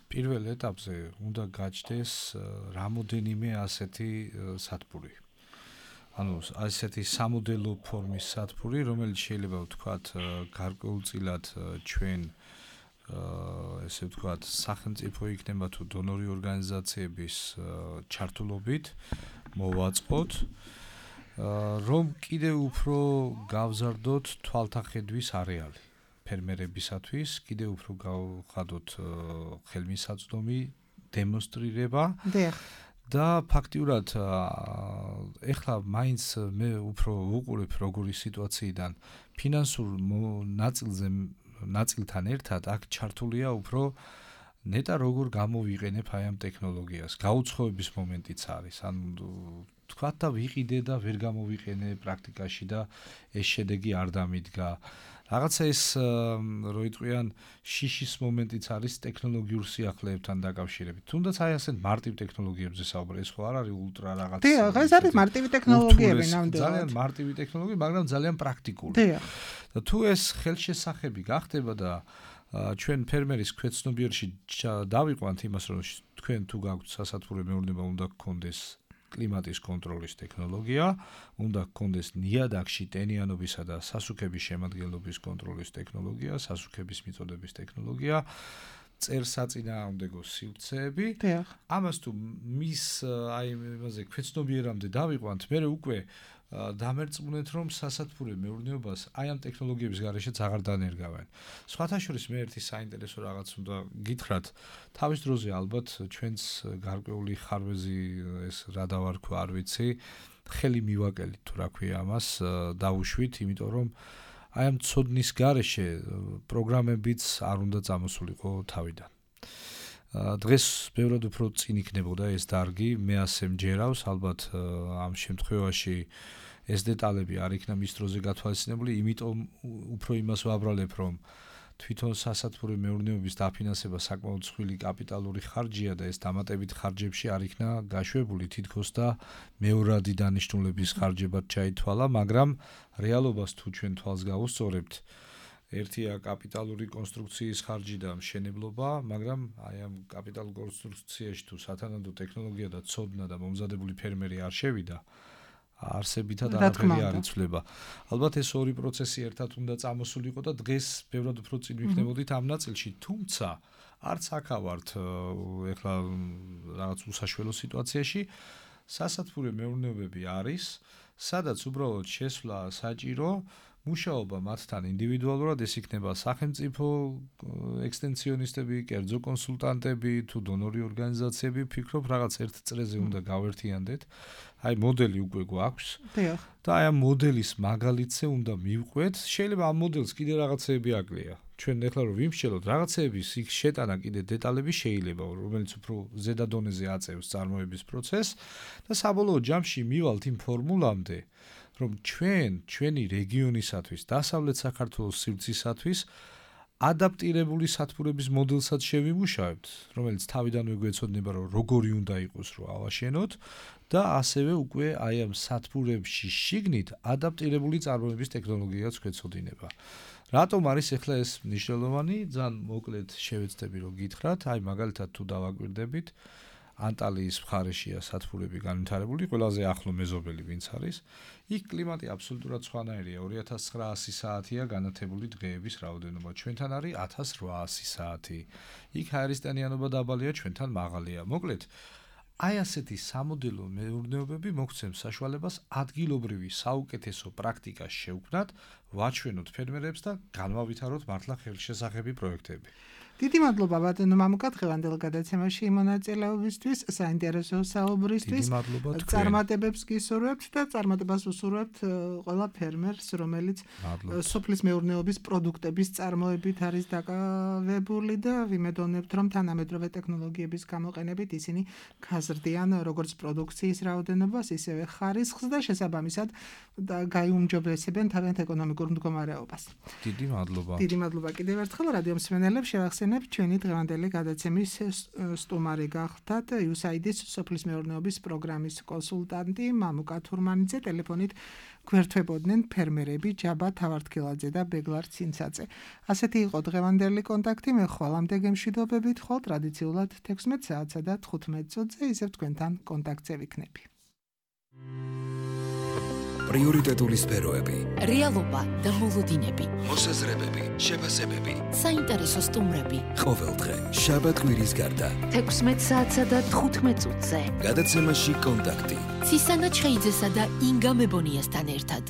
პირველ ეტაპზე უნდა გაჩნდეს რამოდენიმე ასეთი სათბური. ანუ ასეთი სამოდელო ფორმის სათბური, რომელიც შეიძლება ვთქვათ გარკვეულწილად ჩვენ ესე ვთქვათ სახელმწიფო იქნება თუ დონორი ორგანიზაციების ჩართულობით მოვაწყოთ რომ კიდევ უფრო გავზარდოთ თვალთახედვის არეალი. ფერმერებისათვის კიდევ უფრო გავხადოთ ხელმისაწვდომი დემონსტრირება და ფაქტიურად ეხლა მაინც მე უფრო ვუყურებ როგორი სიტუაციიდან ფინანსურ ნაწილთან ერთად აქ ჩართულია უფრო ნეტა როგორ გამოვიყენებ აი ამ ტექნოლოგიას გაუცხოების მომენტიც არის ანუ თქვათ და ვიყიდე და ვერ გამოვიყენე პრაქტიკაში და ეს შედეგი არ დამიდგა რაღაცა ეს რო იტყვიან შიშის მომენტიც არის ტექნოლოგიურ სიახლეებთან დაკავშირებით. თუნდაც აი ასეთ მარტივ ტექნოლოგიებზე საუბარი, ეს ხო არ არის ულტრა რაღაც. დიახ, ეს არის მარტივი ტექნოლოგიები ნამდვილად. ძალიან მარტივი ტექნოლოგიები, მაგრამ ძალიან პრაქტიკული. დიახ. და თუ ეს ხელშესახები გახდება და ჩვენ ფერმერის ქვეცნობიერში დავიყვანთ იმას, რომ თქვენ თუ გაქვთ სასათბური მეურნეობა უნდა გქონდეს კლიმატის კონტროლის ტექნოლოგია, უნდა გქონდეს ნიადაგში ტენიანობისა და სასუქების შემადგენლობის კონტროლის ტექნოლოგია, სასუქების მიწოდების ტექნოლოგია, წერსაწინააღმდეგო სივრცეები. ამას თუ მის აი იმაზე ქვეცნობიერამდე დავიყვანთ, მე უკვე დამერწმუნეთ რომ სასათბური მეურნეობას აი ამ ტექნოლოგიების გარეშეც აღარ დანერგავენ. სხვათა შორის მე ერთი საინტერესო რაღაც უნდა გითხრათ, თავის დროზე ალბათ ჩვენს გარკვეული ხარვეზი ეს რა დავარქვა არ ვიცი, ხელი მივაკელით თუ რა ქვია ამას, დავუშვით, იმიტომ რომ აი ამ ცოდნის გარეშე პროგრამებიც არ უნდა წამოსულიყო თავიდან. დღეს ბევრად უფრო წინ იქნებოდა ეს დარგი, მე ასე მჯერავს, ალბათ ამ შემთხვევაში ეს დეტალები არ იქნა მის დროზე გათვალისწინებული, იმიტომ უფრო იმას ვაბრალებ, რომ თვითონ სასათბური მეურნეობის დაფინანსება საკმაოდ მსხვილი კაპიტალური ხარჯია და ეს დამატებით ხარჯებში არ იქნა გაშვებული თითქოს და მეორადი დანიშნულების ხარჯებად ჩაითვალა, მაგრამ რეალობას თუ ჩვენ თვალს გავუსწორებთ ერთია კაპიტალური კონსტრუქციის ხარჯი და მშენებლობა, მაგრამ აი ამ კაპიტალურ კონსტრუქციაში თუ სათანადო ტექნოლოგია და ცოდნა და მომზადებული ფერმერი არ შევიდა, არსებითად არაფერი არ იცვლება. ალბათ ეს ორი პროცესი ერთად უნდა წამოსულიყო და დღეს ბევრად უფრო წინ ვიქნებოდით ამ ნაწილში, თუმცა არც აქა ვართ ეხლა რაღაც უსაშველო სიტუაციაში, სასათბურე მეურნეობები არის, სადაც უბრალოდ შესვლა საჭირო, მუშაობა მათთან ინდივიდუალურად, ეს იქნება სახელმწიფო ექსტენსიონისტები, კერძო კონსულტანტები თუ დონორი ორგანიზაციები, ვფიქრობ რაღაც ერთ წრეზე უნდა გავერთიანდეთ. აი მოდელი უკვე გვაქვს. და აი ამ მოდელის მაგალითზე უნდა მივყვეთ. შეიძლება ამ მოდელს კიდე რაღაცეები აკლია. ჩვენ ეხლა რომ ვიმსჯელოთ რაღაცეების იქ შეტანა კიდე დეტალები შეიძლება, რომელიც უფრო ზედა დონეზე აწევს წარმოების პროცესს და საბოლოო ჯამში მივალთ იმ ფორმულამდე, რომ ჩვენი რეგიონისათვის, დასავლეთ საქართველოს სივრცისათვის ადაპტირებული სათბურების მოდელსაც შევიმუშავებთ, რომელიც თავიდანვე გვეცოდინება, რომ როგორი უნდა იყოს, რომ ავაშენოთ და ასევე უკვე აი ამ სათბურებში შიგნით ადაპტირებული წარმოების ტექნოლოგიაც გვეცოდინება. რატომ არის ახლა ეს მნიშვნელოვანი? ძალიან მოკლედ შევეცდები რომ გითხრათ, აი მაგალითად თუ დავაკვირდებით, ანტალიის მხარეშია სათბურები განვითარებული, ყველაზე ახლო მეზობელი ვინც არის. იქ კლიმატი აბსოლუტურად სხვანაირია, 2900 საათია განათებული დღეების რაოდენობა, ჩვენთან არის 1800 საათი. იქ ჰაერისტანიანობა დაბალია, ჩვენთან მაღალია. მოკლედ, აი ასეთი სამოდელო მეურნეობები მოგცემს საშუალებას ადგილობრივი საუკეთესო პრაქტიკას შევქმნათ, ვაჩვენოთ ფერმერებს და განვავითაროთ მართლა ხელშესახები პროექტები. დიდი მადლობა ბატონო მამუკა დღევანდელ გადაცემაში მონაწილეობისთვის, საინტერესო საუბრისთვის. წარმატებებს გისურვებთ და წარმატებას უსურვებთ ყველა ფერმერს, რომელიც სოფლის მეურნეობის პროდუქტების წარმოებით არის დაკავებული და ვიმედოვნებთ, რომ თანამედროვე ტექნოლოგიების გამოყენებით ისინი გაზრდიან როგორც პროდუქციის რაოდენობას, ისევე ხარისხს და შესაბამისად გაიუმჯობესებენ თავიანთ ეკონომიკურ მდგომარეობას. დიდი მადლობა. დიდი მადლობა კიდევ ერთხელ რადიო მსმენელებს შევახსენებ ჩვენი დღევანდელი გადაცემის სტუმარი გახდათ USAID-ის სოფლის მეურნეობის პროგრამის კონსულტანტი მამუკა თურმანიძე, ტელეფონით გვერდთვებოდნენ ფერმერები ჯაბა თავართქილაძე და ბეგლარ ცინცაძე. ასეთი იყო დღევანდელი კონტაქტი, მე ხვალამდე გემშვიდობებით, ხვალ ტრადიციულად 16 საათსა და 15 წუთზე ისევ თქვენთან კონტაქტზე ვიქნები. პრიორიტეტული სფეროები, რეალობა და მოლოდინები, მოსაზრებები, შეფასებები, საინტერესო სტუმრები. ყოველდღე შაბათ-კვირის გარდა 16 საათსა და 15 წუთზე. გადაცემაში კონტაქტი. ცისანა ჩხეიძესა და ინგა მებონიასთან ერთად.